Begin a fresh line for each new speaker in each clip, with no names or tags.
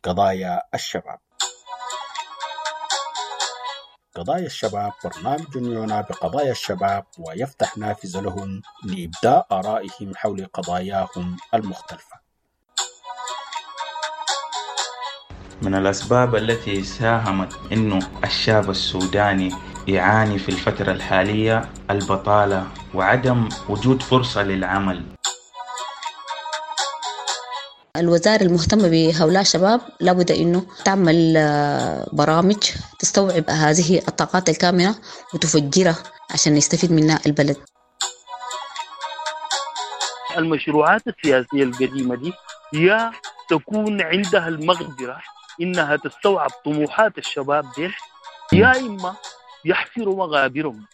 قضايا الشباب. قضايا الشباب برنامج يعنى بقضايا الشباب ويفتح نافذة لهم لإبداء آرائهم حول قضاياهم المختلفة.
من الأسباب التي ساهمت أنه الشاب السوداني يعاني في الفترة الحالية البطالة وعدم وجود فرصة للعمل.
الوزارة المهتمة بهؤلاء الشباب لابد أنه تعمل برامج تستوعب هذه الطاقات الكامنة وتفجرها عشان يستفيد منها البلد.
المشروعات السياسية القديمة دي يا تكون عندها المقدرة إنها تستوعب طموحات الشباب دي، يا إما يحفروا مغابرهم.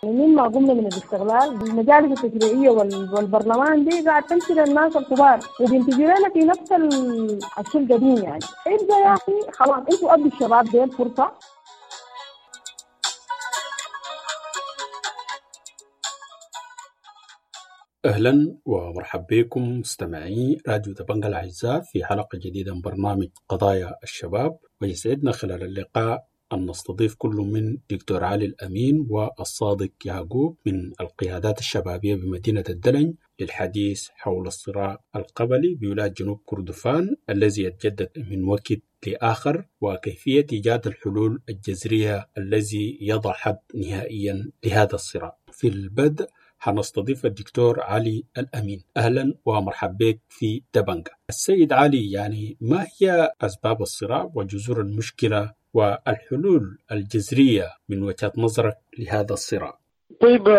مما قمنا من الاستغلال المجالس التشريعية والبرلمان دي قاعد تمشي للناس الكبار وبينتجوا لنا في نفس الشيء القديم. يعني ابدا يا اخي خلاص انتوا ادوا الشباب دي الفرصة.
اهلا ومرحبا بكم مستمعي راديو دبنجا الاعزاء في حلقة جديدة من برنامج قضايا الشباب، ويسعدنا خلال اللقاء أن نستضيف كل من دكتور علي الأمين والصادق يعقوب من القيادات الشبابية بمدينة الدلنج للحديث حول الصراع القبلي بولاية جنوب كردفان الذي يتجدد من وقت لآخر، وكيفية إيجاد الحلول الجذرية الذي يضع حد نهائيا لهذا الصراع. في البدء حنستضيف الدكتور علي الأمين. أهلا ومرحبا بك في دبنجا. السيد علي، يعني ما هي أسباب الصراع وجذور المشكلة والحلول الجذرية من وجهة نظرك لهذا الصراع؟
طيب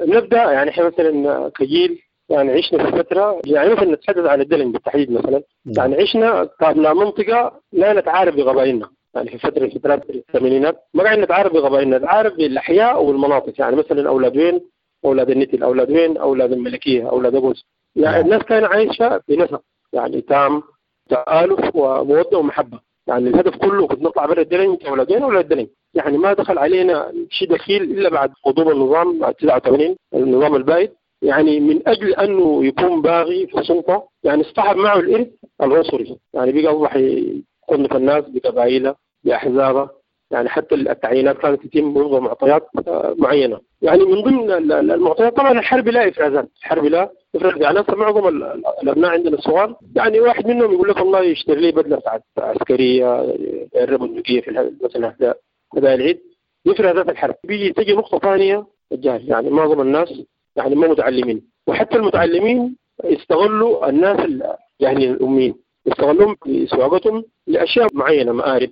نبدأ. يعني احنا مثلا كجيل يعني عشنا في فترة، يعني مثلا نتحدث عن الدلنج بالتحديد مثلا، يعني عشنا كابناء منطقة لا نتعارف بقبائلنا. يعني في فترة فترات الثمانينات ما قاعد نتعارف بقبائلنا، نتعارف بالأحياء والمناطق. يعني مثلا أولاد وين، أولاد النتل، أولاد وين، أولاد الملكية، أولاد أبوس. يعني الناس كانت عايشة بنسق يعني تام، تآلف ومودة ومحبة. يعني الهدف كله كنت نطلع برا الدلنج، اولاد وين اولاد الدلنج. يعني ما دخل علينا شيء دخيل الا بعد قدوم النظام بعد 89، النظام البائد. يعني من اجل انه يكون باغي في السلطة يعني اصطحب معه الارث العنصري. يعني بقى اصبح يصنف الناس بقبائله باحزابه. يعني حتى التعيينات كانت تتم وفق معطيات معينة. يعني من ضمن المعطيات طبعا الحرب لا افرازات، الحرب لا افرازات. يعني معظم الابناء عندنا الصغار يعني واحد منهم يقول لك والله يشتري لي بدله بتاعت عسكرية الربندقيه في مثلا هدايا العيد، افرازات الحرب. بيجي تجي نقطة ثانية، الجهل. يعني معظم الناس يعني ما متعلمين، وحتى المتعلمين استغلوا الناس يعني الاميين، استغلوهم في سواقتهم لاشياء معينة، مآرب.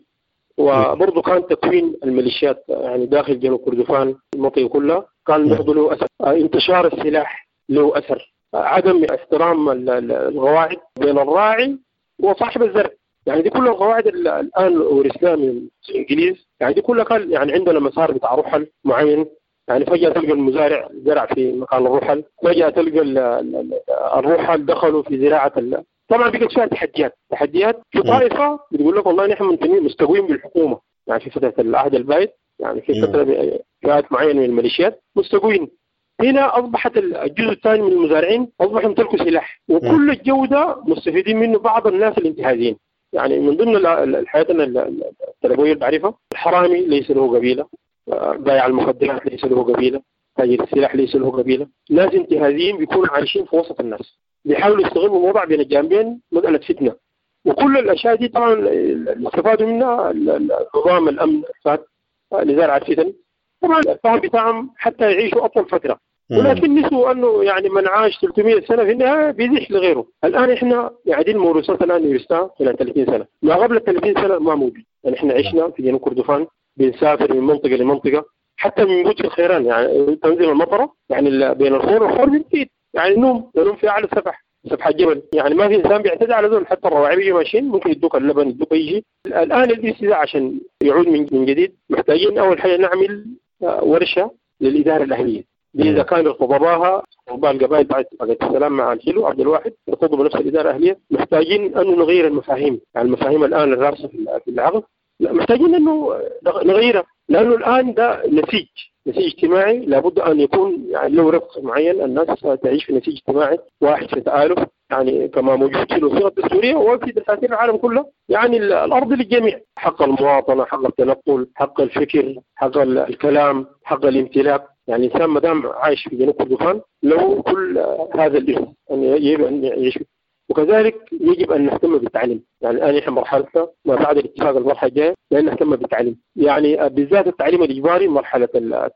وبرضه كان تكوين الميليشيات يعني داخل جنوب كردفان المنطقة كلها كان برضه له اثر. انتشار السلاح له اثر، عدم احترام القواعد بين الراعي وصاحب الزرع. يعني دي كل القواعد الان ورثناها من الانجليز. يعني دي كلها كان يعني عندنا مسار بتاع رحل معين. يعني فجأة تلقى المزارع زرع في مكان الرحل، فجأة تلقى الرحل دخلوا في زراعة. طبعا بقت فيها تحديات في طائفة بتقول لك والله نحن منتمين مستقوين بالحكومة. يعني في فترة العهد البائد، يعني في فترة فئات معينة من الميليشيات مستقوين. هنا اصبحت الجزء الثاني من المزارعين اصبحوا يمتلكوا سلاح، وكل الجودة مستفيدين منه بعض الناس الانتهازيين. يعني من ضمن الحياة التربوية اللي بعرفها، الحرامي ليس له قبيلة، بائع المخدرات ليس له قبيلة، تاجر السلاح ليس له قبيلة. ناس انتهازيين بيكونوا عايشين في وسط الناس، بيحاولوا يستغلوا الوضع بين الجانبين، مسألة فتنة. وكل الأشياء دي طبعا اللي استفادوا منها نظام الأمن الفات لزرع الفتن. طبعا الفهم بتاعهم حتى يعيشوا أطول فترة، ولكن نسوا أنه يعني من عاش 300 سنة في النهاية بيزيح لغيره. الآن إحنا يعني دي الموروثات الآن ورثناها خلال 30 سنة، ما قبل 30 سنة ما موجود. يعني إحنا عشنا في جنوب كردفان بنسافر من منطقة لمنطقة، حتى من بوت الخيران. يعني تنزل المطرة يعني بين الخور والخور بنزيد، يعني نوم في أعلى السفح، سفح الجبل. يعني ما في إنسان بيعتدي على ذول، حتى الرواعي بيجوا ماشيين ممكن يدوك اللبن، يدوك أي شيء. الآن الاستيلاء عشان يعود من جديد محتاجين أول حاجة نعمل ورشة للإدارة الأهلية. إذا كان ارتضباها رباء القبائل بعد اتفاقية السلام مع الحلو عبد الواحد ارتضوا بنفس الإدارة الأهلية. محتاجين أن نغير المفاهيم، يعني المفاهيم الآن الراسخة في العقل، لا محتاجين أنه نغيرها. لأنه الآن ده نسيج اجتماعي لابد أن يكون يعني له رفق معين، الناس تعيش في نسيج اجتماعي واحد في تآلف، يعني كما موجود في الوثيقة الدستورية وفي دساتير العالم كله. يعني الأرض للجميع، حق المواطنة، حق التنقل، حق الفكر، حق الكلام، حق الامتلاك. يعني الإنسان ما دام عايش في جنوب كردفان له كل هذا الإرث أن يجب أن يعيش. وكذلك يجب أن نهتم بالتعليم. يعني الآن نحن مرحلتنا ما بعد الاتفاق المرحلة الجاية لأن نهتم بالتعليم، يعني بالذات التعليم الإجباري مرحلة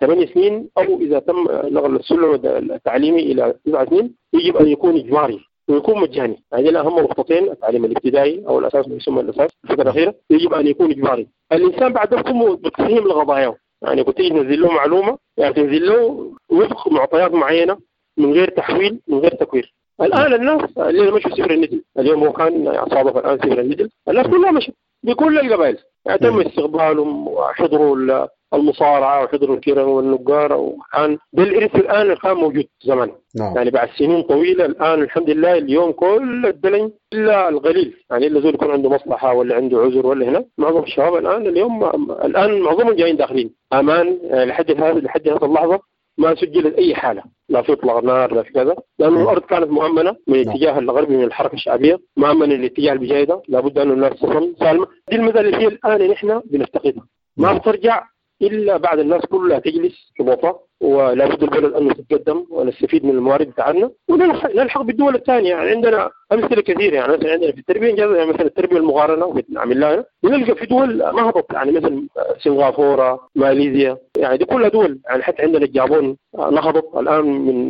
8 سنين، أو إذا تم نقل السلم التعليمي إلى 9 سنين يجب أن يكون إجباري ويكون مجاني. يعني أهم نقطتين، التعليم الابتدائي أو الأساس ما يسمى الأساس الفترة الأخيرة يجب أن يكون إجباري. الإنسان بعد ذلك بتفهم لقضاياه، يعني كنت تنزل له معلومة، يعني تنزل له وفق معطيات معينة من غير تحويل من غير تكوير. الآن الناس اللي مشوا سفر الندل، اليوم هو كان صادف الآن سفر الندل، الناس كلها مشت بكل القبائل، يعني تم استقبالهم وحضروا المصارعة وحضروا الكيران والنقارة، وكان ده الإرث الآن اللي كان موجود زمان. يعني بعد سنين طويلة الآن الحمد لله اليوم كل الدلن إلا القليل، يعني إلا زول يكون عنده مصلحة ولا عنده عذر ولا هنا، معظم الشباب الآن اليوم الآن معظمهم جايين داخلين أمان. لحد هذه اللحظة ما سجلت أي حالة، لا في إطلاق نار لا في كذا، لأنه الأرض كانت مؤمنة من الاتجاه الغربي من الحركة الشعبية، مؤمنة للاتجاه البجايدة، لابد أن الناس تصل سالمة. دي المسألة اللي هي الآن نحن بنفتقدها، ما بترجع إلا بعد الناس كلها تجلس في بوطة، ولا بد البلد أن تتقدم ونستفيد من الموارد بتاعنا ونلحق بالدول الثانية. يعني عندنا أمثلة كثيرة، يعني مثلا عندنا في التربية يعني مثلا التربية المقارنة وبنعمل لها، بنلقى في دول نهضت، يعني مثلا سنغافورة، ماليزيا، يعني دي كلها دول. يعني حتى عندنا اليابان نهضت الآن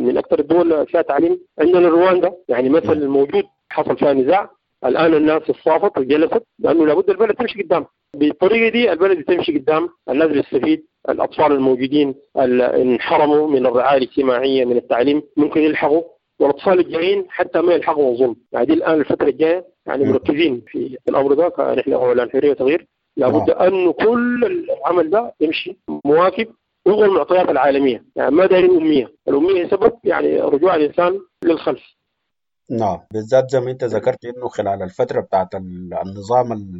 من أكثر الدول فيها تعليم. عندنا رواندا يعني مثل موجود حصل فيها نزاع، الآن الناس اتصافت وجلست، لأنه لابد البلد تمشي قدام. بالطريقة دي البلد تمشي قدام، الناس بتستفيد، الأطفال الموجودين اللي انحرموا من الرعاية الاجتماعية من التعليم ممكن يلحقوا، والأطفال الجايين حتى ما يلحقوا الظلم. يعني دي الآن الفترة الجاية يعني مركزين في الأمر ده، فنحن أولا حرية وتغيير، لابد أن كل العمل ده يمشي مواكب وفق المعطيات العالمية. يعني ما دايرين أمية، الأمية سبب يعني رجوع الإنسان للخلف.
نعم، بالذات زي ما انت ذكرت انه خلال الفترة بتاعت النظام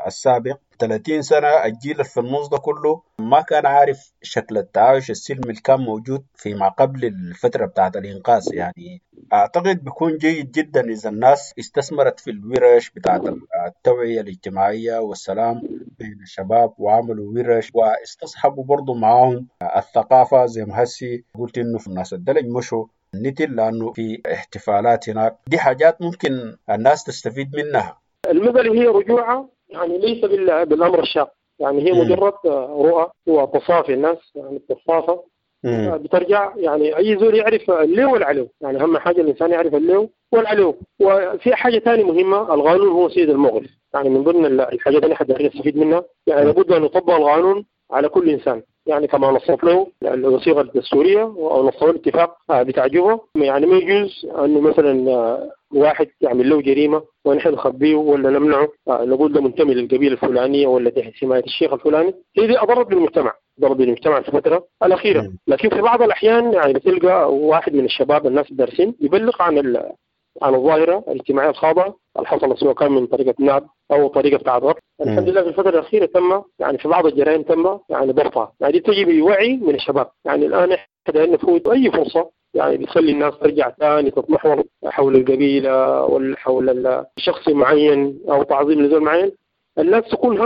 السابق 30 سنة الجيل في النص ده كله ما كان عارف شكل التعايش السلمي اللي كان موجود فيما قبل الفترة بتاعت الإنقاذ. يعني أعتقد بيكون جيد جدا إذا الناس استثمرت في الورش بتاعت التوعية الاجتماعية والسلام بين الشباب، وعملوا ورش واستصحبوا برضو معاهم الثقافة زي ما هسي قلت إنه في الناس الدلج مشوا نتل لأنه في احتفالات هناك. دي حاجات ممكن الناس تستفيد منها.
المسألة هي رجوعها يعني ليس بالأمر الشاق، يعني هي مجرد رؤى وتصافي الناس، يعني التصافة بترجع. يعني أي زول يعرف اللي والعلو، يعني أهم حاجة الإنسان يعرف اللي والعلو. وفي حاجة ثانية مهمة، القانون هو سيد الموقف. يعني من ضمن الحاجات اللي حد يستفيد منها، يعني لابد أن يطبق القانون على كل إنسان، يعني كما نصت له الوثيقة الدستورية أو نص له الاتفاق بتاع جوبا. يعني ما يجوز أنه مثلا واحد يعمل له جريمة ونحن نخبيه ولا نمنعه، نقول ده منتمي للقبيلة الفلانية ولا تحت حماية الشيخ الفلاني. هي دي أضرت بالمجتمع، ضرب بالمجتمع في الفترة الأخيرة. لكن في بعض الأحيان يعني بتلقى واحد من الشباب الناس الدارسين يبلغ عن الظاهرة الاجتماعية الخاضعة اللي حصلت، سواء كان من طريقة نعب أو طريقة بتاع ضرب. الحمد لله في الفترة الأخيرة تم يعني في بعض الجرائم تم يعني ضبطها. يعني دي تجي بوعي من الشباب. يعني الآن إحنا نفوت أي فرصة يعني بتخلي الناس ترجع ثاني تتمحور حول القبيلة ولا حول شخص معين أو تعظيم لزول معين. الناس تكون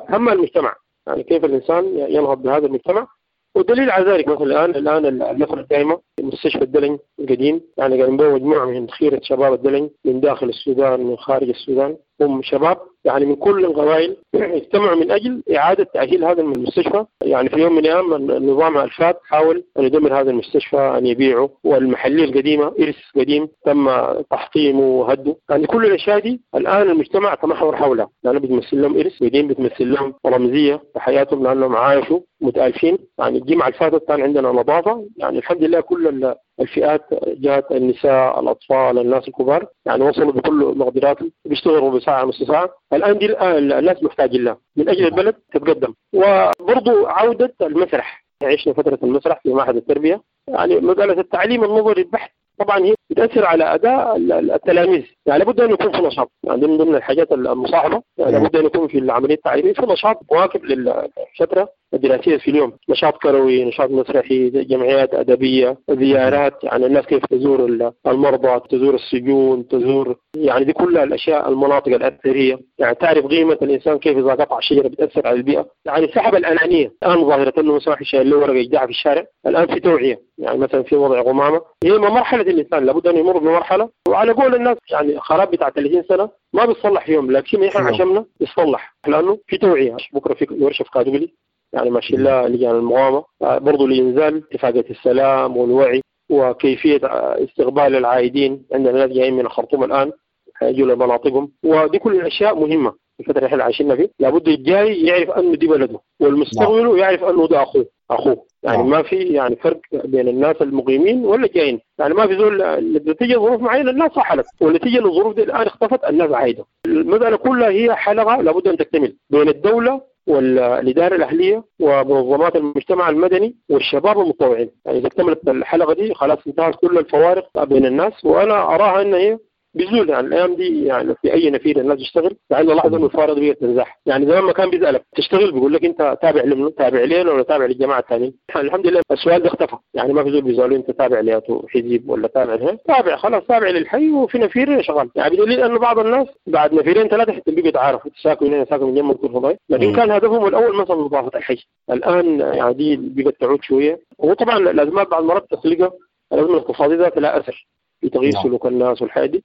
هم المجتمع، يعني كيف الإنسان ينهض بهذا المجتمع. والدليل على ذلك مثلا الآن النفر الدائمة مستشفى الدلن القديم، يعني قاموا به مجموعة من خيرة شباب الدلن من داخل السودان من خارج السودان، هم شباب يعني من كل القبائل اجتمعوا من أجل إعادة تأهيل هذا المستشفى. يعني في يوم من الأيام النظام الفات حاول أن يدمر هذا المستشفى، أن يبيعه، والمحلية القديمة إرث قديم تم تحطيمه وهده. يعني كل الأشياء دي الآن المجتمع تمحور حولها، لأنه بتمثل لهم إرث قديم، بتمثل لهم رمزية في حياتهم، لأنهم عايشوا متألفين. يعني الجمعة الفاتت كان عندنا نظافة، يعني الحمد لله كل الفئات جاءت، النساء، الأطفال، الناس الكبار، يعني وصلوا بكل مقدراتهم، بيشتغلوا بساعة نص ساعة. الآن دي الناس محتاجين لها من أجل البلد تتقدم. وبرضو عودة المسرح، عشنا فترة المسرح في معهد التربية، يعني مسألة التعليم النظري البحت طبعا هي بتاثر على اداء التلاميذ، يعني لابد ان يكون في نشاط، يعني من ضمن الحاجات المصاحبة يعني لابد ان يكون في العملية التعليمية في نشاط مواكب للفترة الدراسية في اليوم، نشاط كروي، نشاط مسرحي، جمعيات ادبية، زيارات، يعني الناس كيف تزور المرضى، تزور السجون، تزور يعني دي كلها الاشياء، المناطق الاثرية، يعني تعرف قيمة الانسان كيف اذا قطع شجرة بتاثر على البيئة، يعني سحب الانانية. الان ظاهره انه مثلا واحد شايل له ورقة يجدعها في الشارع، الان في توعيه، يعني مثلا في وضع قمامه، هي مرحلة الانسان لابد ان يمر بمرحلة، وعلى قول الناس يعني خراب بتاع 30 سنة ما بيتصلح في يوم، لكن احنا عشمنا يتصلح لانه في توعيه. بكره في ورشه في كادوغلي يعني ماشي لها لجان المقاومة برضه لانزال اتفاقية السلام والوعي وكيفية استقبال العائدين. عندنا ناس جايين من الخرطوم الان حيجوا لمناطقهم، ودي كل الاشياء مهمة في الفترة اللي احنا عايشينها فيه. لابد الجاي يعرف انه دي بلده، والمستقبل يعرف انه ده اخوه يعني ما في يعني فرق بين الناس المقيمين ولا الجايين، يعني ما في زول نتيجة ظروف معينة الناس رحلت، ونتيجة للظروف دي الان اختفت الناس عايدة. المسالة كلها هي حلقة لابد ان تكتمل بين الدولة والإدارة الأهلية ومنظمات المجتمع المدني والشباب المتطوعين. يعني إذا اكتملت الحلقة دي خلاص انتهت كل الفوارق بين الناس، وأنا أراها أن هي بزول يعني الايام دي، يعني في اي نفير الناس تشتغل، يعني لاحظ انه الفارق دي تنزاح. يعني زمان ما كان بيسالك تشتغل بيقول لك انت تابع لمنو، تابع لنا ولا تابع للجماعة الثانيين. الحمد لله السؤال ده اختفى، يعني ما في زول بيسالوا انت تابع لياتو حزب ولا تابع لها، تابع خلاص تابع للحي وفي نفير شغال. يعني بدليل انه بعض الناس بعد نفيرين ثلاثة حتى بيجوا يتعارفوا ساكن هنا ساكن جنب كل فضاي، لكن كان هدفهم الاول مثلا نظافة الحي. الان يعني دي بقت تعود شوية، وطبعا الازمات بعض المرات تخلقها الازمة الاقتصادية ذات لها اثر في تغيير سلوك الناس والحياة دي،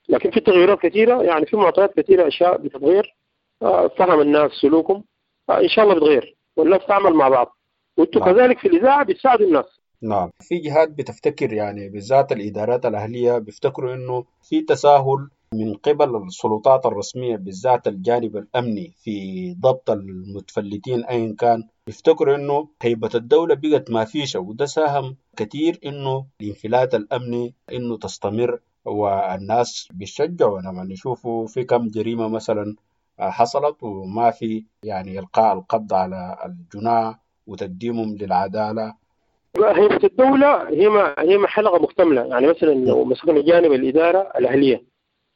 لكن في تغييرات كثيرة، يعني في معطيات كثيرة أشياء بتتغير، فهم الناس سلوكهم إن شاء الله بتغير، والناس تعمل مع بعض، وانتم كذلك في الإذاعة بتساعدوا الناس.
نعم، في جهات بتفتكر يعني بالذات الإدارات الأهلية بيفتكروا إنه في تساهل من قبل السلطات الرسمية بالذات الجانب الأمني في ضبط المتفلتين أيا كان، بيفتكروا إنه هيبة الدولة بقت ما فيش، وده ساهم كثير إنه الانفلات الأمني إنه تستمر، والناس بيشجعوا لما يشوفوا في كم جريمة مثلا حصلت وما في يعني إلقاء القبض على الجناة وتقديمهم للعدالة.
هيبة الدولة هي حلقة مكتملة، يعني مثلا لو مسكنا جانب الإدارة الأهلية،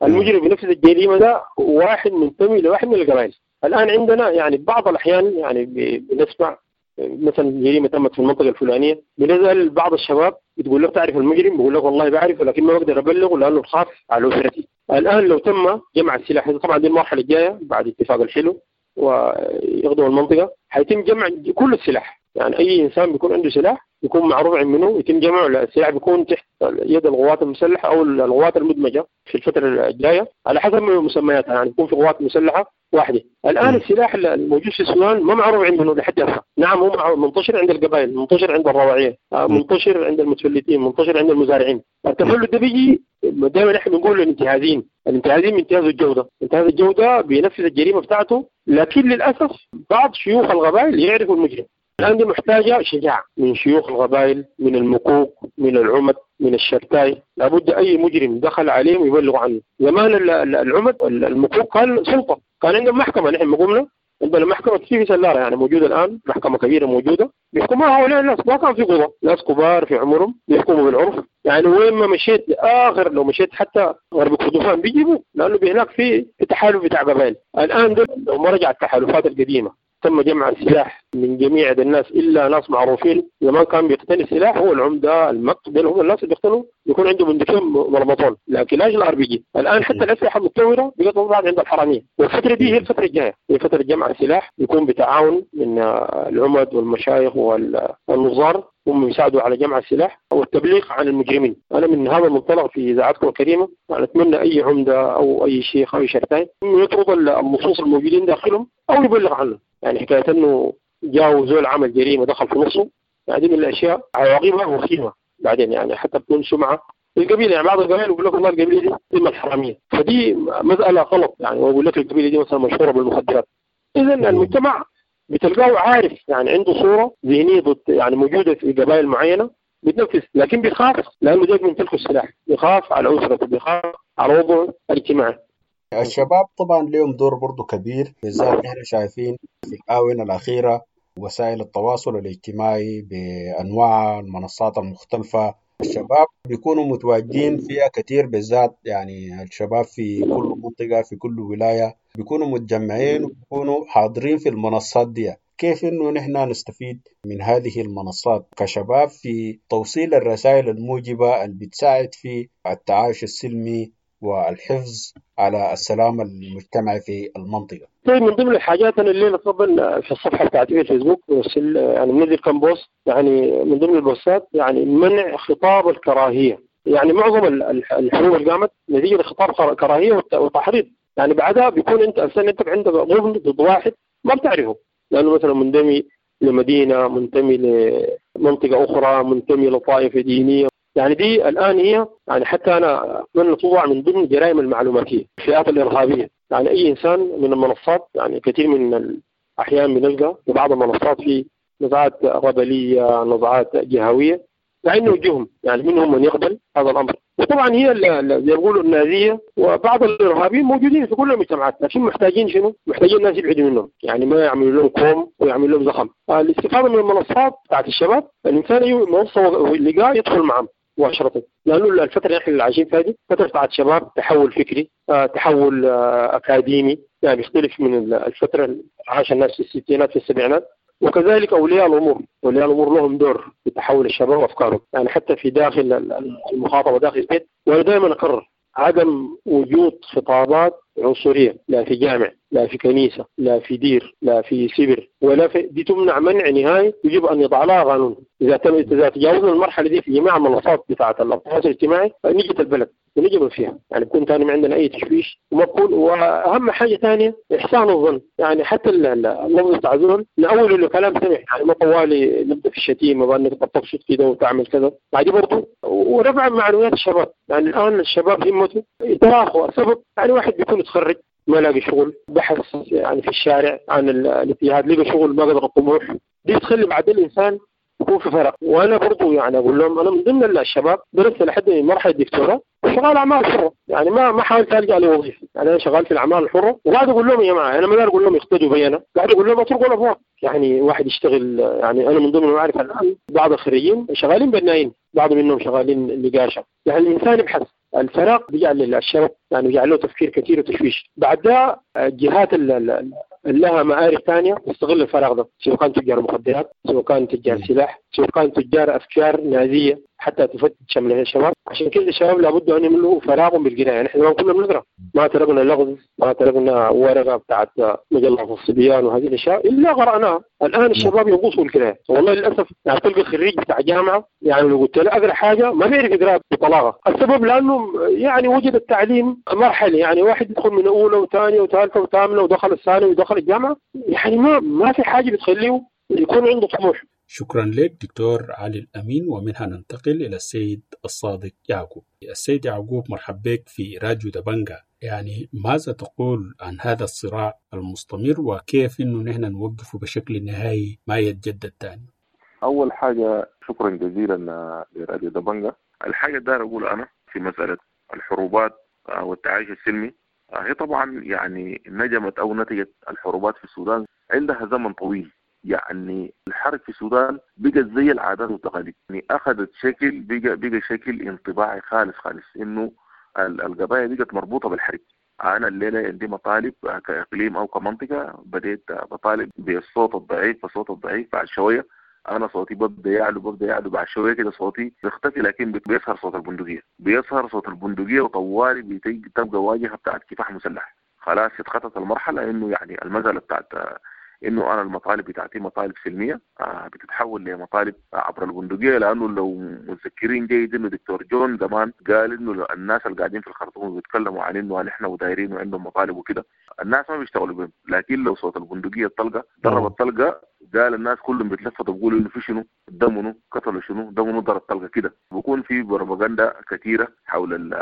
المجرم بنفذ الجريمة ده واحد منتمي لواحد من القبائل. الآن عندنا يعني بعض الأحيان يعني بنسمع مثلا جريمة تمت في المنطقة الفلانية، بنسأل بعض الشباب بتقول له تعرف المجرم؟ بيقول لك والله بعرفه لكن ما بقدر أبلغه لأنه بخاف على أسرتي. الآن لو تم جمع السلاح، طبعا دي المرحلة الجاية بعد اتفاق الحلو ويغدوا المنطقة، حيتم جمع كل السلاح، يعني أي إنسان بيكون عنده سلاح يكون معروف عن منه يتم جمعه، السلاح بيكون تحت يد القوات المسلحة أو القوات المدمجة في الفترة الجاية على حسب مسمياتها، يعني يكون في قوات مسلحة واحدة. الآن السلاح الموجود في السودان ما معروف عند منه لحد هسه. نعم هو منتشر عند القبائل، منتشر عند الرواعية، منتشر عند المتفلتين، منتشر عند المزارعين. التفلت ده بيجي دائما نحن بنقول الانتهازيين، الانتهازيين بينتهزوا الجودة، انتهاز الجودة بينفذ الجريمة بتاعته، لكن للأسف بعض شيوخ القبائل يعرفوا المجرم. الآن دي محتاجة شجاعة من شيوخ القبائل، من المكوك، من العمد، من الشرتاي. لابد أي مجرم دخل عليهم يبلغوا عنه. زمان العمد المكوك كان سلطة، كان عندهم محكمة. نحن قمنا عندنا محكمة في سلارة يعني موجودة الآن، محكمة كبيرة موجودة بيحكموها هؤلاء الناس. ما كان في قضاء، ناس كبار في عمرهم بيحكموا بالعرف. يعني وين ما مشيت لآخر، لو مشيت حتى غرب كردفان بيجيبوا، لأنه هناك في تحالف بتاع قبائل. الآن دول لو ما رجع التحالفات القديمة، تم جمع السلاح من جميع الناس إلا ناس معروفين. زمان كان بيقتني السلاح هو العمدة، المق، دول هم الناس اللي بيقتنوا، يكون عندهم بندقية مرمطون، لكن لاش ال RPG. الآن حتى الأسلحة المتطورة بقت تضع عند الحرامية، والفترة دي هي الفترة الجاية، هي فترة جمع السلاح، يكون بتعاون من العمد والمشايخ والنظار، هم يساعدوا على جمع السلاح والتبليغ عن المجرمين. أنا من هذا المنطلق في إذاعتكم الكريمة يعني أتمنى أي عمدة أو أي شيخ أو شرطي يطرد اللصوص الموجودين داخلهم أو يبلغ عنه. يعني حكاية أنه جاءوا زول عمل جريمة دخل في نصه، يعني دي من الأشياء عواقبها وخيمة بعدين، يعني حتى بتكون سمعة القبيلة. يعني بعض القبائل يقول لك والله القبيلة دي من الحرامية، فدي مسألة غلط. يعني ويقول لك القبيلة دي مثلا مشهورة بالمخدرات. إذا المجتمع بتلقاه عارف، يعني عنده صورة ذهنية ضد، يعني موجودة في قبائل معينة بتنفذ، لكن بيخاف لأنه جاي من تلك السلاح، بيخاف على أسرته، بيخاف على وضعه الاجتماعي.
الشباب طبعا لهم دور برضو كبير، بالذات نحن شايفين في الآونة الأخيرة وسائل التواصل الاجتماعي بأنواع المنصات المختلفة الشباب بيكونوا متواجدين فيها كثير، بالذات يعني الشباب في كل منطقة في كل ولاية بيكونوا متجمعين وبيكونوا حاضرين في المنصات دي. كيف إنه نحن نستفيد من هذه المنصات كشباب في توصيل الرسائل الموجبة اللي بتساعد في التعايش السلمي والحفظ على السلام المجتمعي في المنطقة؟
طيب، من ضمن الحاجات أنا الليلة طبعا في الصفحة بتاعتي في الفيسبوك يعني منزل كم post، يعني من ضمن البوستات يعني منع خطاب الكراهية. يعني معظم الحروب اللي قامت نتيجة لخطاب كراهية وتحريض، يعني بعدها بيكون أنت أصلا أنت عندك غبن ضد واحد ما بتعرفه، لأنه مثلا منتمي لمدينة، منتمي لمنطقة أخرى، منتمي لطائفة دينية. يعني دي الآن هي يعني حتى أنا أتمنى توضع من ضمن الجرائم المعلوماتية، الفئات الإرهابية. يعني أي إنسان من المنصات، يعني كثير من الأحيان بنلقى في بعض المنصات في نزعات قبلية، نزعات جهوية، مع إنه وجههم يعني منهم من يقبل هذا الأمر. وطبعا هي زي ما بيقولوا النازية وبعض الإرهابيين موجودين في كل المجتمعات، لكن محتاجين شنو؟ محتاجين الناس يبعدوا منهم، يعني ما يعملوا لهم كوم ويعملوا لهم زخم. الاستفادة من المنصات بتاعت الشباب، الإنسان منصة لقاء يدخل معهم مباشرة، لأنه الفترة اللي احنا عايشين فيها دي فترة بتاعت شباب، تحول فكري، تحول أكاديمي، يعني بيختلف من الفترة اللي عاش الناس في الستينات في السبعينات. وكذلك أولياء الأمور، أولياء الأمور لهم دور في تحول الشباب وأفكارهم، يعني حتى في داخل المخاطبة داخل البيت. وأنا دائما أكرر عدم وجود خطابات عنصرية، لا في جامع، لا في كنيسة، لا في دير، لا في سبر، ولا في دي، تمنع منع نهائي، يجب أن يضع لها قانون. إذا تجاوزنا المرحلة دي في جميع المنصات بتاعة التواصل الاجتماعي نجت البلد ونجب فيها، يعني بكون ثاني ما عندنا أي تشويش وما بكون. وأهم حاجة ثانية إحسان الظن، يعني حتى اللفظ بتاع زول نأول له كلام سمح، يعني ما طوالي نبدأ في الشتيمة بأنك تبسط كده وتعمل كذا، بعد برضه. ورفع معنويات الشباب، يعني الآن الشباب همته يتراخوا. السبب يعني واحد بيكون يتخرج ما لاقي شغل، بحث يعني في الشارع عن الاتجاهات، لقى شغل ما قدر الطموح، دي تخلي بعد الإنسان يكون في فرق. وأنا برضو يعني أقول لهم أنا من ضمن الشباب درست لحد مرحلة الدكتوراه وشغال أعمال حرة، يعني ما حاولت ألجأ لوظيفة، يعني أنا شغال في الأعمال الحرة. وقاعد أقول لهم يا جماعة، أنا ما أقول لهم يقتدوا بي، أنا قاعد أقول لهم اتركوا الأبواب، يعني واحد يشتغل. يعني أنا من ضمن المعارف الآن بعض الخريجين شغالين بنايين، بعض منهم شغالين نقاشة. يعني الإنسان يبحث، الفراغ بيجعل للشباب يعني بيجعل له تفكير كثير وتشويش. بعد ده الجهات اللي لها مآرب ثانية تستغل الفراغ ده، سواء كان تجار مخدرات، سواء كان تجار سلاح، سواء كان تجار أفكار نازية حتى تفتت شمل الشباب. عشان كده الشباب لابد أن يملوا فراغهم بالقراءة. يعني احنا كنا بنقرأ، ما تركنا لغز، ما تركنا ورقة بتاعت مجلة الصبيان وهذه الأشياء إلا قرأناها. الآن الشباب ينقصوا القراءة والله للأسف. يعني تلقى خريج بتاع جامعة يعني لو قلت له أقرأ حاجة ما بيعرف يقرأ بطلاقة. السبب لأنه يعني وجد التعليم مرحلة، يعني واحد يدخل من أولى وثانية وثالثة وثامنة ودخل الثانوي ودخل الجامعة، يعني ما في حاجة بتخليه يكون عنده طموح.
شكرا لك دكتور علي الأمين. ومنها ننتقل إلى السيد الصادق يعقوب. السيد يعقوب، مرحب بك في راديو دبنجا. يعني ماذا تقول عن هذا الصراع المستمر وكيف إنه نحن نوقفه بشكل نهائي ما يتجدد تاني؟
أول حاجة شكرا جزيلا لراديو دبنجا. الحاجة دار أقول أنا في مسألة الحروبات والتعايش السلمي، هي طبعا يعني نجمت أو نتجت الحروبات في السودان عندها زمن طويل. يعني الحرب في السودان بقت زي العادات والتقاليد، يعني اخذت شكل بقى شكل انطباعي خالص خالص، انه القضايا بقت مربوطه بالحرب. انا الليله عندي مطالب كاقليم او كمنطقه، بديت بطالب بالصوت الضعيف، فصوت الضعيف بعد شويه انا صوتي ببدا يعلو بعد شويه كده صوتي بيختفي، لكن بيظهر صوت البندقيه، بيظهر صوت البندقيه وطوالي بتبقى واجهه بتاعت كفاح مسلح. خلاص اتخطت المرحله انه يعني المساله بتاعت انه انا المطالب بتاعتي مطالب سلميه بتتحول لمطالب عبر البندقيه. لانه لو متذكرين جيد انه دكتور جون زمان قال انه الناس اللي قاعدين في الخرطوم بيتكلموا عن انه نحن ودايرين وعندهم مطالب وكده، الناس ما بيشتغلوا بهم، لكن لو صوت البندقيه الطلقه ضرب الطلقه قال الناس كلهم بيتلفتوا بيقولوا انه في شنو، دمنه قتلوا شنو، دمنه ضرب طلقه كده. بيكون في بروباغندا كثيره حول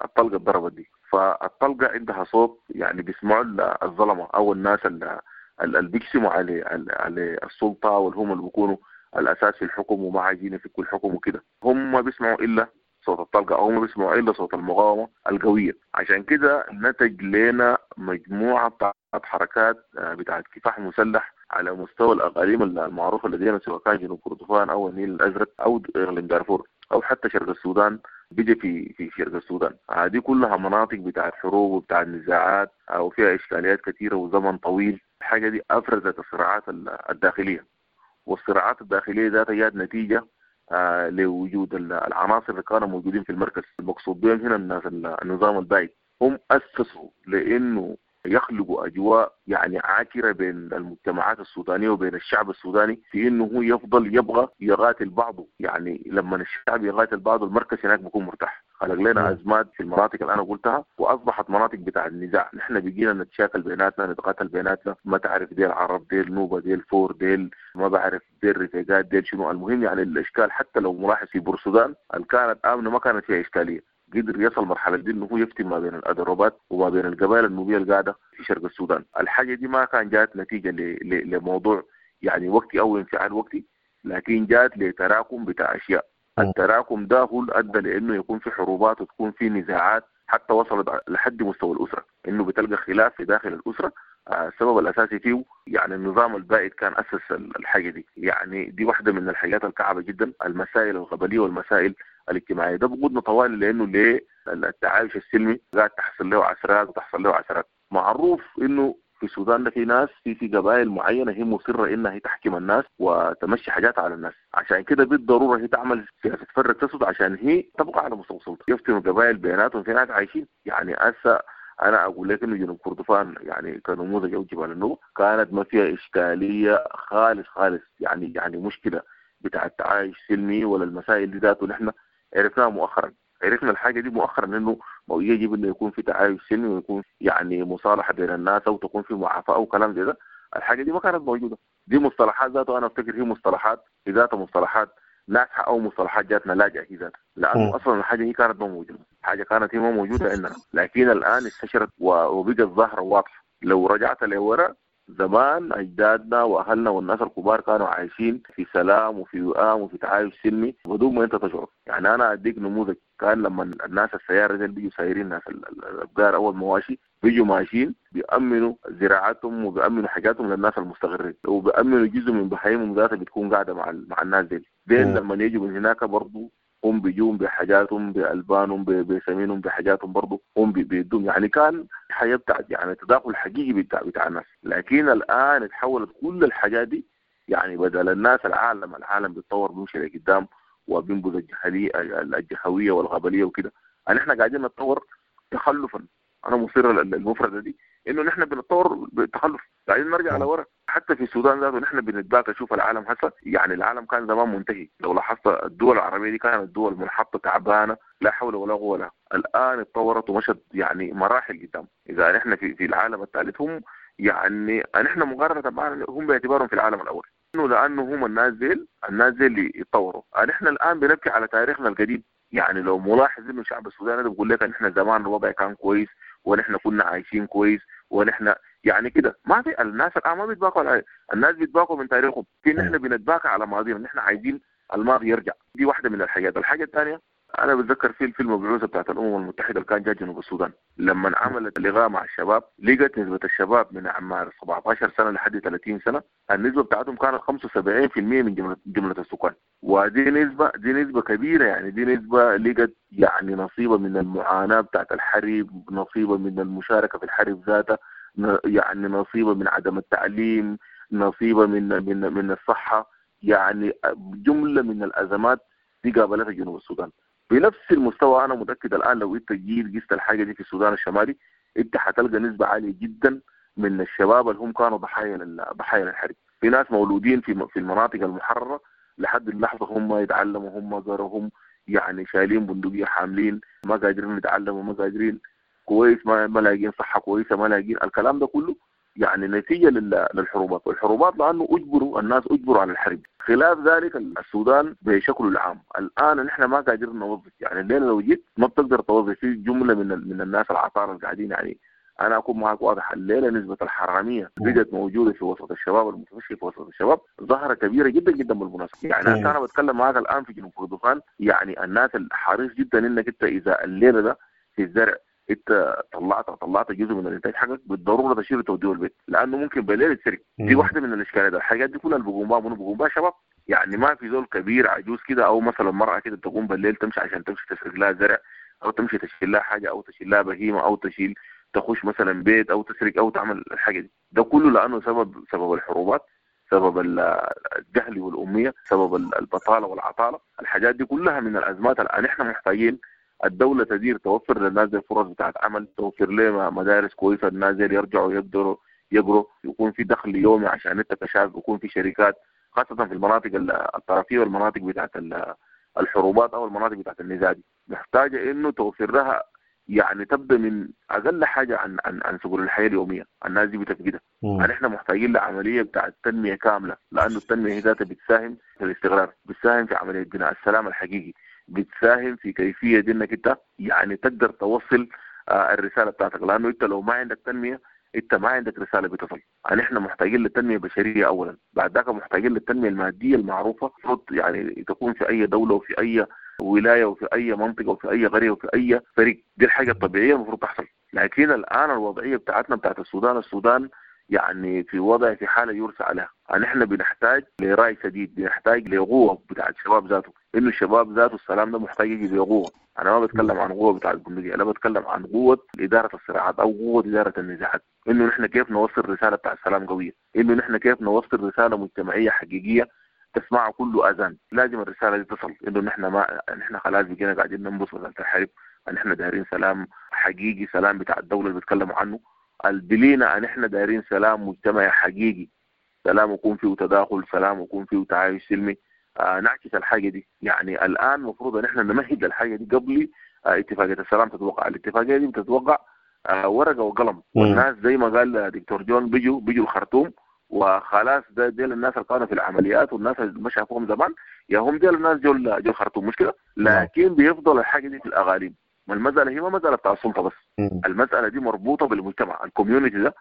الطلقه الضربت دي. فالطلقه عندها صوت، يعني بيسمعوا الظلمه او الناس اللي بيقسموا على السلطه والهم اللي بيكونوا الاساس في الحكم وما عايزين يفكوا الحكم وكده، هم ما بيسمعوا الا صوت الطلقه او ما بيسمعوا الا صوت المقاومه القويه. عشان كده نتج لنا مجموعه بتاعت حركات بتاعت كفاح مسلح على مستوى الاقاليم المعروفه لدينا، سواء كان جنوب كردفان او النيل الازرق او اقليم دارفور. او حتى شرق السودان بيجي في شرق السودان. دي كلها مناطق بتاعت حروب وبتاعت نزاعات وفيها اشكاليات كثيرة وزمن طويل. الحاجة دي افرزت الصراعات الداخلية، والصراعات الداخلية ذاتها جات نتيجة لوجود العناصر اللي كانوا موجودين في المركز. المقصود بهم هنا الناس النظام البائد، هم اسسوا لانه يخلقوا اجواء يعني عاكره بين المجتمعات السودانية وبين الشعب السوداني، في انه هو يفضل يبغى يقاتل بعضه. يعني لما الشعب يقاتل بعضه المركز هناك بيكون مرتاح. خلق لنا ازمات في المناطق اللي انا قلتها، واصبحت مناطق بتاع النزاع. نحن بقينا نتشاكل بيناتنا، نتقاتل بيناتنا، ما تعرف ديل عرب ديل نوبه ديل فور ديل ما بعرف ديل رفيقات ديل شنو. المهم يعني الاشكال حتى لو ملاحظ في بورسودان اللي كانت امنه ما كانت فيها اشكالية، قدر يصل مرحلة دي انه هو يفتن ما بين الأدروبات وما بين القبائل النوبية القاعدة في شرق السودان. الحاجة دي ما كان جات نتيجة لموضوع يعني وقتي أو انفعال وقتي، لكن جات لتراكم بتاع أشياء. التراكم ده هو اللي أدى لأنه يكون في حروبات وتكون في نزاعات حتى وصلت لحد مستوى الأسرة، إنه بتلقى خلاف في داخل الأسرة. السبب الأساسي فيه يعني النظام البائد كان أسس الحاجة دي. يعني دي واحدة من الحاجات الكعبة جدا، المسائل القبلية والمسائل الاجتماعية. ده بقودنا طوال لأنه ليه التعايش السلمي قاعد تحصل له عثرات وتحصل له عثرات. معروف إنه في السودان ده في ناس في قبائل معينة هي مصرة إنها هي تحكم الناس وتمشي حاجات على الناس، عشان كده بالضرورة هي تعمل سياسة فرق تسد عشان هي تبقى على مستوى السلطة. يفتنوا قبائل بيناتهم، في ناس عايشين. يعني هسه انا اقول لك انه جنوب كردفان يعني كنموذج او جبال النوبة كانت ما فيها اشكالية خالص خالص، يعني مشكلة بتاع التعايش سلمي ولا المسائل دي ذاته. نحن عرفناها مؤخرا، عرفنا الحاجة دي مؤخرا انه يجب انه يكون في تعايش سلمي ويكون يعني مصالحه بين الناس او تكون في معافاه او كلام زي ده. الحاجة دي ما كانت موجودة. دي مصطلحات ذاته انا افتكر هي مصطلحات في ذاتها مصطلحات ناجحة او مصطلحات جاتنا لاجئه هي ذاتها، لانه اصلا الحاجة هي كانت ما موجودة، حاجة كانت هي ما موجودة عندنا، لكن الان انتشرت وبقت ظاهره واضحة. لو رجعت لورا زمان اجدادنا واهلنا والناس الكبار كانوا عايشين في سلام وفي وئام وفي تعايش سلمي بدون ما انت تشعر. يعني انا اديك نموذج، كان لما الناس السيارة دي بيجوا سايرين ناس الابقار او المواشي بيجوا ماشيين بيأمنوا زراعتهم وبيأمنوا حاجاتهم للناس المستغرين، وبيأمنوا جزء من بهايمهم ذاتها بتكون قاعدة مع الناس دي. دين لما يجوا من هناك برضه هم بيجون بحاجاتهم بألبانهم بسمينهم بحاجاتهم برضه هم بيدوم. يعني كان حياة بتاعت يعني تداخل حقيقي بتاع الناس. لكن الآن تحولت كل الحاجات دي، يعني بدل الناس العالم بيتطور بيمشي لقدام وبينبذ الجهوية والغبلية وكده. يعني احنا قاعدين نتطور تخلفا. انا مصر المفردة دي انه نحن بنتطور بتخلف، قاعدين نرجع لورا. حتى في السودان ذاته نحن بنتباكى. شوف العالم هسه، يعني العالم كان زمان منتهي. لو لاحظت الدول العربية دي كانت دول منحطه تعبانة لا حول ولا قوة لها، الان اتطورت ومشت يعني مراحل قدام. اذا نحن في العالم الثالث، هم يعني نحن مقارنة معنا هم باعتبارهم في العالم الاول، انه لانه هم الناس ديل اللي اتطوروا. نحن الان بنبكي على تاريخنا القديم. يعني لو ملاحظ انه الشعب السوداني ده بيقول لك ان احنا زمان الوضع كان كويس ونحن كنا عايشين كويس ونحن يعني كده، ما في الناس الان ما بيتباكوا على الناس بيتباكوا من تاريخهم. في نحن بنتباكى على ماضينا، نحن عايزين الماضي يرجع. دي واحدة من الحاجات. الحاجة الثانية انا بتذكر في الفيلم بعوثه بتاعت الامم المتحدة اللي كان جاي جنوب السودان، لما عملت لقاء مع الشباب لقت نسبه الشباب من اعمار 17 سنة لحد 30 سنة النسبة بتاعتهم كانت 75% من جملة السكان، ودي نسبه، دي نسبه كبيرة. يعني دي نسبه لقت يعني نصيبه من المعاناة بتاعت الحرب، نصيبه من المشاركة في الحرب ذاتها، يعني نصيبه من عدم التعليم، نصيبه من من من الصحة، يعني جملة من الازمات دي قابلتها جنوب السودان بنفس المستوى. انا متاكد الان لو انت جيت قست الحاجة دي في السودان الشمالي انت حتلقى نسبه عالية جدا من الشباب اللي هم كانوا ضحايا للحرب. في ناس مولودين في المناطق المحررة لحد اللحظة هم يتعلموا، هم قروا، هم يعني شايلين بندقية حاملين، ما قادرين يتعلموا، ما قادرين كويس، ما لاقيين صحة كويسة، ما لاقيين الكلام ده كله، يعني نتيجة للحروبات. والحروبات لانه اجبروا الناس، اجبروا على الحرب. خلاف ذلك السودان بشكله العام الان نحن ما قادرين نوظف. يعني الليلة لو جيت ما بتقدر توظف في جملة من الناس العطاره اللي قاعدين. يعني انا اكون معك واضح، الليلة نسبه الحرامية بقت موجودة في وسط الشباب، المتفشي في وسط الشباب ظاهره كبيرة جدا جدا بالمناسبة. يعني انا بتكلم معك الان في جنوب كردفان، يعني الناس الحريص جدا انك انت اذا الليلة ده في الزرع انت طلعت جزء من الانتاج حقك بالضرورة تشيله توديه البيت، لانه ممكن بالليل يتسرق. دي واحدة من الاشكاليات. الحاجات دي كلها اللي بيقوم بها منو؟ بيقوم بها شباب. يعني ما في زول كبير عجوز كده او مثلا مرأة كده تقوم بالليل تمشي عشان تمشي تسرق لها زرع او تمشي تشيل لها حاجة او تشيل لها بهيمة او تشيل تخش مثلا بيت او تسرق او تعمل الحاجة دي. ده كله لانه سبب الحروبات، سبب الجهل والاميه، سبب البطالة والعطاله. الحاجات دي كلها من الازمات الان احنا محتاجين الدولة تدير، توفر للناس دي فرص بتاعت عمل، توفر لهم مدارس كويسة، الناس دي يرجعوا يقدروا يقروا، يكون في دخل يومي عشان انت كشاب، يكون في شركات خاصة في المناطق الطرفيه والمناطق بتاعت الحروبات او المناطق بتاعت النزاع دي. محتاجه انه توفر لها يعني تبدا من اقل حاجة عن عن عن سبل الحياة اليومية، الناس دي بتفقدها. يعني احنا محتاجين لعملية بتاعت تنمية كاملة، لانه التنمية هي ذاتها بتساهم في الاستقرار، بتساهم في عملية بناء السلام الحقيقي، بتساهم في كيفية انك انت يعني تقدر توصل الرسالة بتاعتك، لانه انت لو ما عندك تنمية انت ما عندك رسالة بتصل. يعني احنا محتاجين للتنمية البشرية اولا، بعد ذاك محتاجين للتنمية المادية المعروفة، المفروض يعني تكون في اي دولة وفي اي ولاية وفي اي منطقة وفي اي قرية وفي اي فريق. دي الحاجة الطبيعية المفروض تحصل. لكن الان الوضعية بتاعتنا بتاعت السودان يعني في وضع في حاله يرثى عليها. يعني احنا بنحتاج لراي سديد، بنحتاج لقوه بتاعت الشباب ذاته، انه الشباب ذاته السلام ده محتاج يجي بقوة. انا ما بتكلم عن قوة بتاعت البندقية، انا بتكلم عن قوة ادارة الصراعات او قوة ادارة النزاعات، انه نحن كيف نوصل رسالة بتاع السلام قوية، انه نحن كيف نوصل رسالة مجتمعية حقيقية تسمعها كل اذان. لازم الرسالة دي تصل، انه نحن ما نحن خلاص بقينا قاعدين ننبسط مسالة الحرب، نحن دايرين سلام حقيقي، سلام بتاع الدولة اللي بيتكلموا عنه البلينا، نحن دايرين سلام مجتمعي حقيقي، سلام يكون فيه تداخل، سلام يكون فيه تعايش سلمي. نعكس الحاجة دي. يعني الان المفروض ان احنا نمهد الحاجة دي قبل اتفاقية السلام تتوقع. الاتفاقية دي بتتوقع ورقة وقلم، والناس زي ما قال دكتور جون بيجوا الخرطوم وخلاص. ده ديل الناس اللي كانوا في العمليات والناس اللي ما شافوهم زمان، يا هم ديل الناس جو الخرطوم، مش كده؟ لكن بيفضل الحاجة دي في الاغاليب. ما المسالة هي ما مسالة بتاع السلطة بس، المسالة دي مربوطة بالمجتمع. ال community ده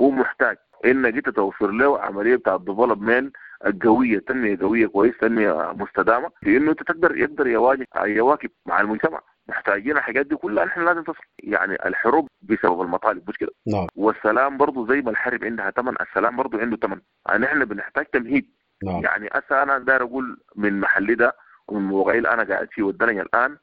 هو محتاج انك انت توفر له عملية بتاع ال development القوية، تنمية قوية كويس، تنمية مستدامة، في انه انت تقدر يقدر يواجه يواكب مع المجتمع. محتاجين الحاجات دي كلها، نحن لازم تصل. يعني الحروب بسبب المطالب، مش كده؟
نعم.
والسلام برضه زي ما الحرب عندها ثمن، السلام برضه عنده ثمن. يعني احنا بنحتاج تمهيد.
نعم.
يعني هسه انا داير اقول من محلي ده ومن موقعي اللي انا قاعد فيه والدنيا الان،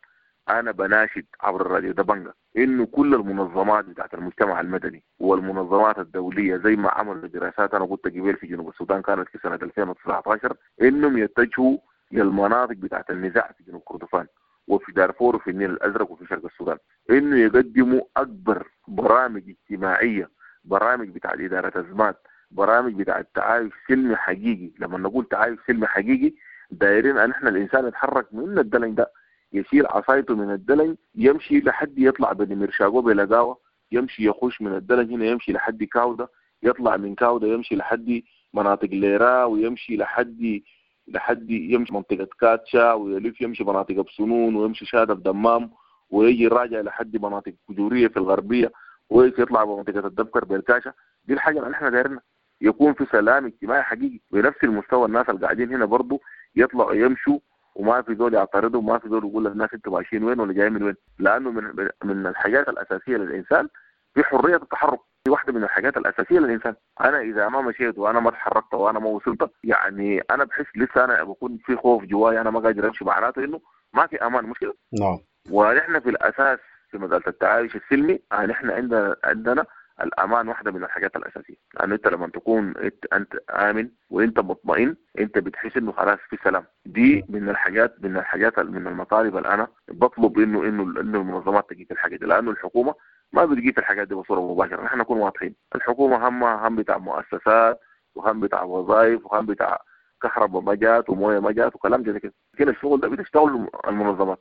انا بناشد عبر الراديو دبنجة انه كل المنظمات بتاعت المجتمع المدني والمنظمات الدولية زي ما عملوا دراسات انا قلت قبل في جنوب السودان كانت في سنة 2019، انهم يتجهوا للمناطق بتاعت النزاع في جنوب كردفان وفي دارفور وفي النيل الازرق وفي شرق السودان، انه يقدموا اكبر برامج اجتماعية، برامج بتاعت ادارة ازمات، برامج بتاعت تعايش سلمي حقيقي. لما نقول تعايش سلمي حقيقي دايرين ان احنا الانسان يتحرك من الدلن ده، يشيل عصايته من الدلن يمشي لحد يطلع بنمرشاقو بلقاوه، يمشي يخش من الدلن هنا يمشي لحد كاودا، يطلع من كاودا يمشي لحد مناطق ليرا، ويمشي لحد يمشي منطقة كاتشا، ويلف يمشي مناطق بسنون، ويمشي شادة بدمام، ويجي راجع لحد مناطق كجورية في الغربية، ويجي يطلع بمنطقة الدبكر بالكاشة. دي الحاجة اللي احنا دايرنا، يكون في سلام اجتماعي حقيقي بنفس المستوى. الناس اللي قاعدين هنا برضو يطلعوا يمشوا وما في زول يعترضوا، وما في زول يقول للناس انتوا ماشيين وين ولا جايين من وين، لانه من الحاجات الاساسية للانسان في حرية التحرك. دي واحدة من الحاجات الاساسية للانسان. انا اذا ما مشيت وانا ما اتحركت وانا ما وصلت، يعني انا بحس لسه انا بكون في خوف جواي، انا ما قادر امشي، معناته انه ما في امان، مش كده؟
نعم.
ونحن في الاساس في مسالة التعايش السلمي نحن عندنا الامان واحدة من الحاجات الاساسية، لانه انت لما تكون انت امن وانت مطمئن انت بتحس انه خلاص في سلام. دي من الحاجات من المطالب اللي انا بطلب انه المنظمات تجي في الحاجة دي، لانه الحكومة ما بتجي في الحاجات دي بصورة مباشرة. نحن نكون واضحين، الحكومة هم بتاع مؤسسات وهم بتاع وظائف وهم بتاع كهرباء ما جات ومويه ما جات وكلام زي كده، لكن الشغل ده بتشتغل المنظمات.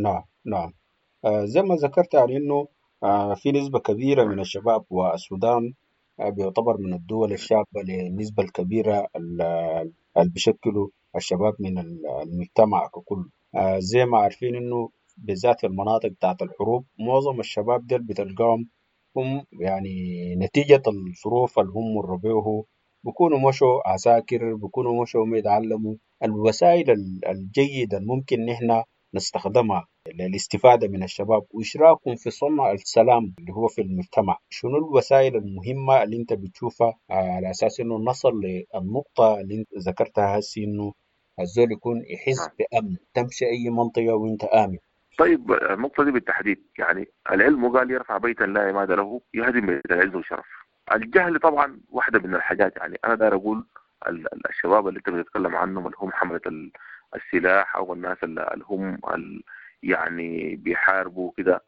نعم نعم. زي ما ذكرت يعني انه في نسبة كبيرة من الشباب، والسودان بيعتبر من الدول الشابة للنسبة الكبيرة اللي بيشكلوا الشباب من المجتمع ككل. زي ما عارفين إنه بالذات في المناطق بتاعت الحروب معظم الشباب ديل بتلقاهم هم يعني نتيجة الظروف اللي هم مروا بيه بيكونوا مشوا عساكر، بيكونوا مشوا ما يتعلموا الوسائل الجيدة الممكن نحن نستخدمها للاستفادة من الشباب وإشراكهم في صنع السلام اللي هو في المجتمع. شنو الوسائل المهمة اللي انت بتشوفها على أساس إنه نصل للنقطة اللي انت ذكرتها هسي إنه الزول يكون يحس بأمن، تمشي أي منطقة وأنت آمن.
طيب النقطة دي بالتحديد، يعني العلم قال يرفع بيتا لا عماد له يهدم بيت العز والشرف. الجهل طبعا واحدة من الحاجات، يعني أنا داير أقول الشباب اللي أنت بتتكلم عنهم اللي هم حملة السلاح أو الناس اللي هم يعني بيحاربوا كده،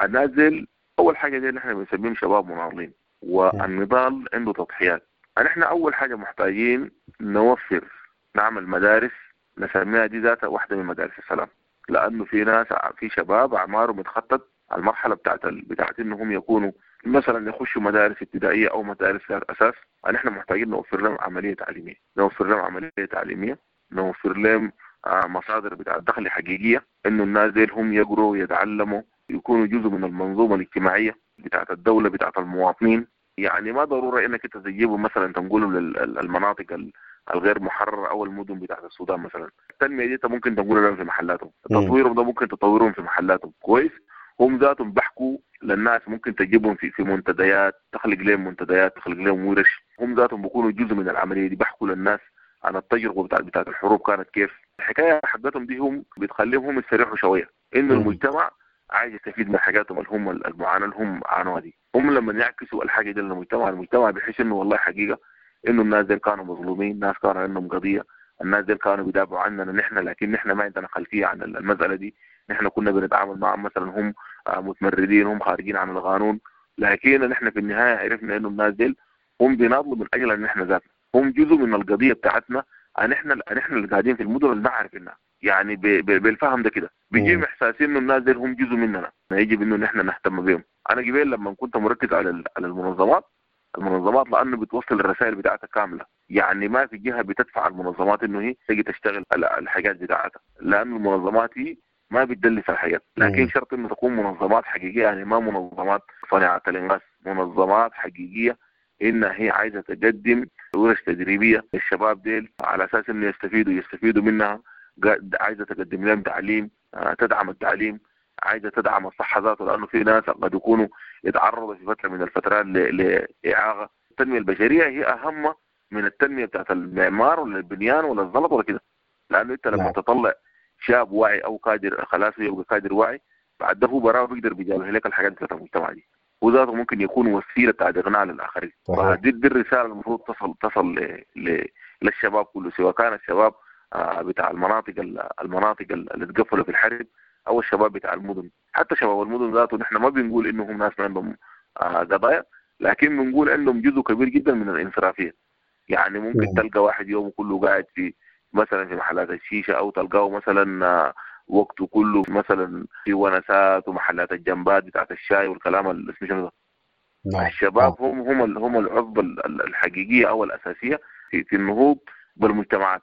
الناس ديل أول حاجة دي نحن بنسميهم شباب مناضلين، والنضال عنده تضحيات. نحن أول حاجة محتاجين نوفر نعمل مدارس نسميها دي ذاتها واحدة من مدارس السلام، لأنه في ناس في شباب أعمارهم اتخطت المرحلة بتاعت إنهم يكونوا مثلا يخشوا مدارس ابتدائية أو مدارس أساس. نحن محتاجين نوفر لهم عملية تعليمية، نوفر لهم عملية تعليمية، نوفر لهم مصادر بتاعت دخل حقيقية، إنه الناس ديل هم يقروا ويتعلموا يكونوا جزء من المنظومة الاجتماعية بتاعت الدولة بتاعت المواطنين. يعني ما ضرورة إنك أنت تجيبهم مثلا تنقلهم للمناطق الغير محررة أو المدن بتاعت السودان مثلا. التنمية دي أنت ممكن تنقلها لهم في محلاتهم، تطويرهم ده ممكن تطورهم في محلاتهم كويس. هم ذاتهم بحكوا للناس، ممكن تجيبهم في منتديات، تخلق لهم منتديات، تخلق لهم ورش، هم ذاتهم بيكونوا جزء من العملية دي، بحكوا للناس عن التجربة بتاعت الحروب كانت كيف. الحكاية حقتهم دي هم بتخليهم هم يستريحوا شوية، إنه المجتمع عايز يستفيد من حاجاتهم اللي هم المعاناة اللي هم عانوها دي. هم لما يعكسوا الحاجة دي للمجتمع، المجتمع بيحس إنه والله حقيقة إنه الناس دي كانوا مظلومين، الناس كانوا عندهم قضية، الناس دي كانوا بيدافعوا عننا نحن، لكن نحن ما عندنا خلفية عن المسألة دي، نحن كنا بنتعامل معهم مثلا هم متمردين، هم خارجين عن القانون، لكن نحن في النهاية عرفنا إنه الناس دي هم بيناضلوا من أجل إن نحن ذاتنا، هم جزء من القضية بتاعتنا، نحن اللي قاعدين في المدن اللي ما عارفينها. يعني بالفهم ده كده بيجيهم احساس انه الناس دي هم جزء مننا، يجب انه نحن نهتم بهم. انا قبل لما كنت مركز على المنظمات لانه بتوصل الرسائل بتاعتها كاملة، يعني ما في جهة بتدفع المنظمات انه هي تيجي تشتغل الحاجات بتاعتها، لانه المنظمات هي ما بتدلس الحاجات، لكن شرط انه تكون منظمات حقيقية، يعني ما منظمات صناعة الانغاز، منظمات حقيقية انها هي عايزه تقدم ورش تدريبية للشباب ديل على اساس انه يستفيدوا منها، عايزه تقدم لهم تعليم، تدعم التعليم، عايزه تدعم الصحة ذاته، لانه في ناس قد يكونوا يتعرضوا في فترة من الفترات لاعاقه. التنمية البشرية هي اهم من التنمية بتاعت المعمار ولا البنيان ولا الزلط ولا كده، لانه انت لما تطلع شاب واعي او كادر خلاص يبقى كادر واعي، بعد ده هو براه بيقدر بيجابه لك الحاجات بتاعت المجتمع دي، وذاته ممكن يكون وسيلة بتاعت اغناء للاخرين. فدي الرسالة المفروض تصل للشباب كله، سواء كان الشباب بتاع المناطق اللي تقفلوا في الحرب او الشباب بتاع المدن. حتى شباب المدن ذاته نحن ما بنقول انهم ناس ما عندهم قضايا، لكن بنقول عندهم جزء كبير جدا من الانصرافيه. يعني ممكن تلقى واحد يومه كله قاعد في مثلا في محلات الشيشة، او تلقاه مثلا وقته كله مثلا في ونسات ومحلات الجنبات بتاعت الشاي والكلام اللي اسمه شنو ده. الشباب هم العصبة الحقيقية او الاساسية في النهوض بالمجتمعات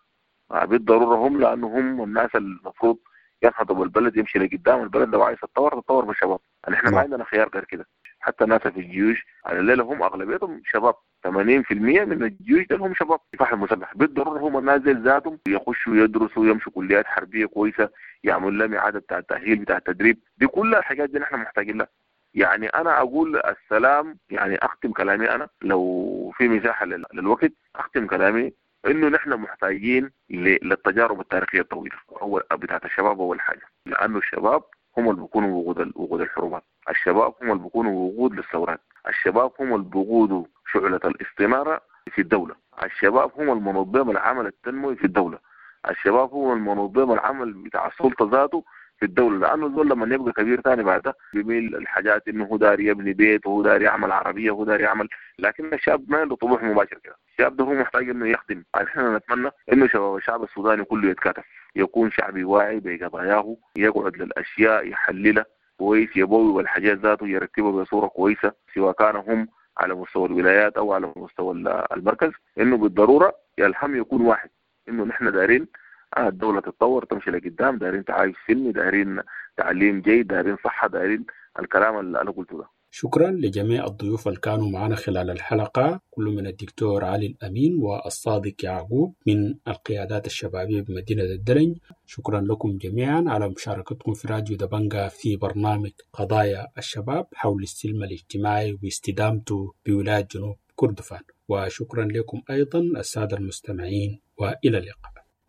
بالضرورة، هم لانه هم الناس المفروض ينهضوا بالبلد، يمشي لقدام. البلد لو عايز تتطور بالشباب، نحن ما عندنا خيار غير كده. حتى الناس في الجيوش على الليلة هم اغلبيتهم شباب، 80% من الجيوش ده هم شباب الكفاح المسلح. بالضرورة هم الناس دي ذاتهم يخشوا يدرسوا، يمشوا كليات حربيه كويسة، يعملوا لهم اعاده بتاع التاهيل بتاع التدريب، دي كلها الحاجات دي نحن محتاجين لها. يعني انا اقول السلام، يعني اختم كلامي انا لو في مساحة للوقت، اختم كلامي انه نحن محتاجين للتجارب التاريخية الطويلة اول بتاعت الشباب. اول حاجة لانه الشباب هم اللي بيكونوا وقود الحروبات، الشباب هم اللي بيكونوا وقود للثورات، الشباب هم اللي بيقودوا شعلة الاستنارة في الدولة، الشباب هم المنظم العمل التنموي في الدولة، الشباب هم المنظم العمل بتاع السلطة ذاته في الدولة. لأنه الزول لما يبقى كبير ثاني بعده بيميل الحاجات إنه هو داري يبني بيت، وهو داري يعمل عربية، وهو داري يعمل، لكن الشاب ما عنده طموح مباشر كده. الشاب ده هو محتاج إنه يخدم. احنا نتمنى إنه شباب الشعب السوداني كله يتكاتف، يكون شعبي واعي بقضاياه، يقعد للأشياء يحللها كويس، يبوي والحاجات ذاته يرتبها بصورة كويسة، سواء كانوا هم على مستوى الولايات أو على مستوى المركز. إنه بالضرورة الهم يكون واحد، إنه نحن دارين الدولة تتطور تمشي لقدام، دارين تعايش سلمي، دارين تعليم جيد، دارين صحة، دارين الكلام اللي أنا قلته ده.
شكرا لجميع الضيوف اللي كانوا معنا خلال الحلقة، كل من الدكتور علي الأمين والصادق يعقوب من القيادات الشبابية بمدينة الدرنج. شكرا لكم جميعا على مشاركتكم في راديو دبنجا في برنامج قضايا الشباب حول السلم الاجتماعي واستدامته بولاية جنوب كردفان. وشكرا لكم أيضا السادة المستمعين، وإلى اللقاء.